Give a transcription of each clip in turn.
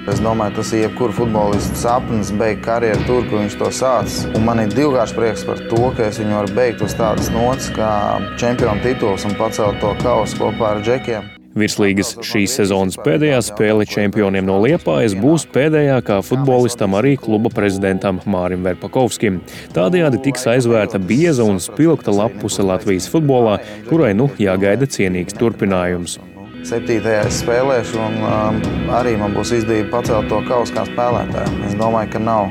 Es domāju, tas ir jebkura futbolista sapnis beigt karjeru tur, kur viņš to sācis. Un man ir divkārši prieks par to, ka es viņu varu beigt uz tādas nots kā čempionu tituls un pacelt to kausu kopā ar džekiem. Virslīgas šīs sezonas pēdējā spēle čempioniem no Liepājas būs pēdējā kā futbolistam arī kluba prezidentam Mārim Verpakovskim. Tādējādi tiks aizvērta bieza un spilgta lapuse Latvijas futbolā, kurai jāgaida cienīgs turpinājums. 7. es spēlēšu un arī man būs izdevība pacelt to kausu kā spēlētājiem. Es domāju, ka nav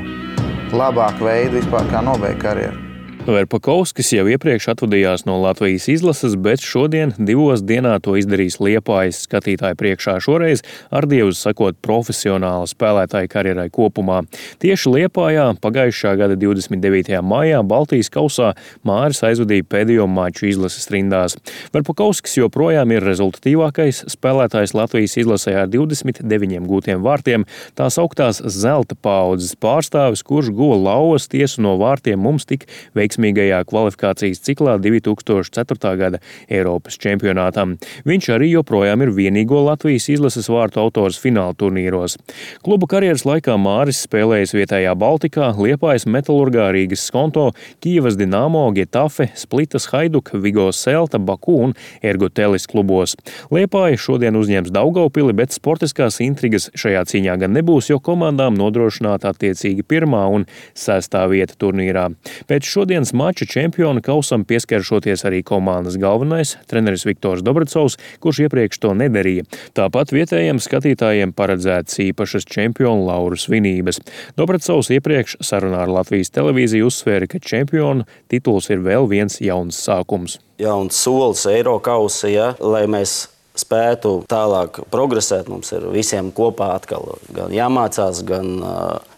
labāka veida vispār kā nobeigt karjeru. Verpakovskis jau iepriekš atvadījās no Latvijas izlases, bet šodien 2 dienā to izdarīs Liepājas skatītāju priekšā, šoreiz ar dievus sakot profesionāla spēlētāja karjerai kopumā. Tieši Liepājā pagājušā gada 29. maijā Baltijas kausā Māris aizvadīja pēdējo maču izlases rindās. Verpakovskis joprojām ir rezultatīvākais spēlētājs Latvijas izlasē ar 29 gūtiem vārtiem, tās augtās zelta paaudzes pārstāvis, kurš guva lauvas tiesu no vārtiem mums tik veiksmīgajā kvalifikācijas ciklā 2004. gada Eiropas čempionātam. Viņš arī joprojām ir vienīgo Latvijas izlases vārtu autors fināla turnīros. Kluba karjeras laikā Māris spēlējis vietējā Baltikā, Liepājas Metalurgā, Rīgas Skonto, Kijevas Dinamo, Getafe, Splitas Hajduk, Vigo Selta, Baku un Ergotelis klubos. Liepāja šodien uzņems Daugavpili, bet sportiskās intrigas šajā cīņā gan nebūs, jo komandām nodrošināta attiecīgi 1. un 6. vieta turnīrā. Pēc šodienas mača čempiona kausam pieskaršoties arī komandas galvenais treneris Viktors Dobracovs, kurš iepriekš to nedarīja. Tāpat vietējiem skatītājiem paredzētas īpašas čempionu lauru svinības. Dobracovs iepriekš sarunā ar Latvijas televīziju uzsvēra, ka čempionu tituls ir vēl viens jauns sākums. Jauns solis Eirokausa, lai mēs spētu tālāk progresēt, mums ir visiem kopā atkal gan jāmācās, gan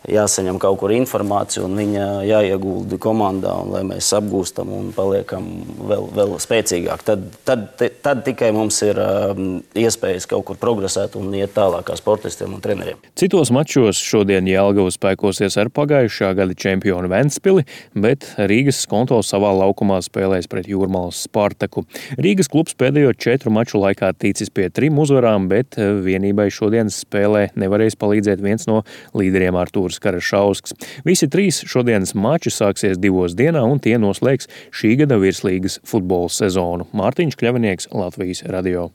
jāsaņem kaut kur informāciju un viņa jāiegulda komandā, un lai mēs apgūstam un paliekam vēl spēcīgāk. Tad tikai mums ir iespējas kaut kur progresēt un iet tālāk kā sportistiem un treneriem. Citos mačos šodien Jelgava spēkosies ar pagājušā gada čempionu Ventspili, bet Rīgas Skonto savā laukumā spēlēs pret Jūrmalas Spartaku. Rīgas klubs pēdējo 4 maču laikā ticis pie 3 uzvarām, bet vienībai šodienas spēlē nevarēs palīdzēt viens no līderiem Artūrs Karašausks. Visi 3 šodienas mači sāksies 2 dienā un tie noslēgs šī gada virslīgas futbola sezonu. Mārtiņš Kļavinieks, Latvijas radio.